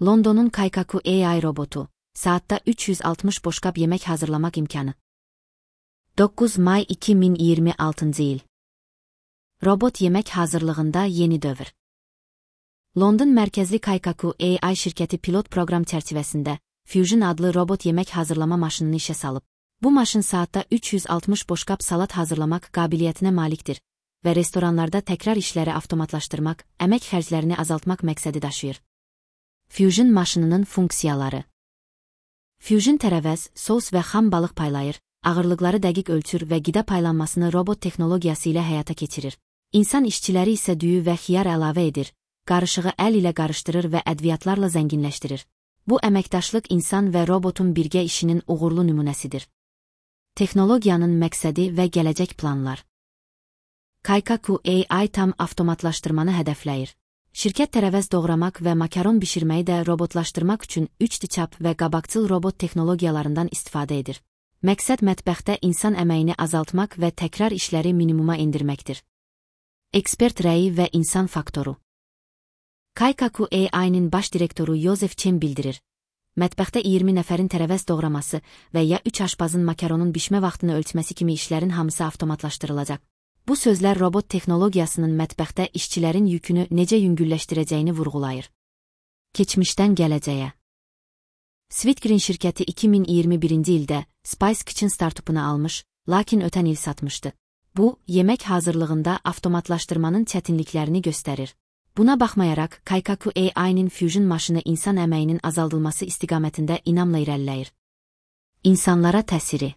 Londonun Kaikaku AI robotu, saatte 360 boşqab yemək hazırlamaq imkanı. 9 may 2026 il. Robot yemək hazırlığında yeni dövr. London mərkəzli Kaikaku AI şirkəti pilot proqram çərçivəsində Fusion adlı robot yemək hazırlama maşınını işə salıb. Bu maşın saatda 360 boşqab salat hazırlamaq qabiliyyətinə malikdir və restoranlarda təkrar işləri avtomatlaşdırmaq, əmək xərclərini azaltmaq məqsədi daşıyır. Fusion maşınının funksiyaları. Fusion tərəvəz, sos və xam balıq paylayır, ağırlıqları dəqiq ölçür və qida paylanmasını robot texnologiyası ilə həyata keçirir. İnsan işçiləri isə düyü və xiyar əlavə edir, qarışığı əl ilə qarışdırır və ədviyyatlarla zənginləşdirir. Bu əməkdaşlıq insan və robotun birgə işinin uğurlu nümunəsidir. Texnologiyanın məqsədi və gələcək planlar. Kaikaku AI tam avtomatlaşdırmanı hədəfləyir. Şirkət tərəvəz doğramaq və makaron bişirməyi də robotlaşdırmaq üçün 3D çap və qabaqcıl robot texnologiyalarından istifadə edir. Məqsəd mətbəxdə insan əməyini azaltmaq və təkrar işləri minimuma endirməkdir. Ekspert rəyi və insan faktoru. Kaikaku AI'nin baş direktoru Joseph Chen bildirir. Mətbəxdə 20 nəfərin tərəvəz doğraması və ya 3 aşpazın makaronun bişmə vaxtını ölçməsi kimi işlərin hamısı avtomatlaşdırılacaq. Bu sözlər robot texnologiyasının mətbəxdə işçilərin yükünü necə yüngülləşdirəcəyini vurğulayır. Keçmişdən gələcəyə. Sweetgreen şirkəti 2021-ci ildə Spice Kitchen startupunu almış, lakin ötən il satmışdı. Bu, yemək hazırlığında avtomatlaşdırmanın çətinliklərini göstərir. Buna baxmayaraq, Kaikaku AI'nin Fusion maşını insan əməyinin azaldılması istiqamətində inamla irəliləyir. İnsanlara təsiri.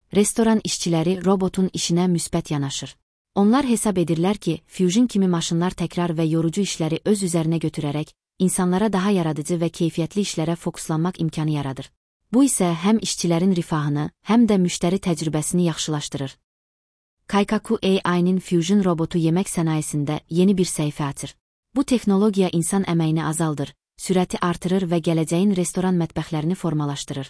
Restoran işçiləri robotun işinə müsbət yanaşır. Onlar hesab edirlər ki, Fusion kimi maşınlar təkrar və yorucu işləri öz üzərinə götürərək, insanlara daha yaradıcı və keyfiyyətli işlərə fokuslanmaq imkanı yaradır. Bu isə həm işçilərin rifahını, həm də müştəri təcrübəsini yaxşılaşdırır. Kaikaku AI'nin Fusion robotu yemək sənayesində yeni bir səhifə açır. Bu texnologiya insan əməyini azaldır, sürəti artırır və gələcəyin restoran mətbəxlərini formalaşdırır.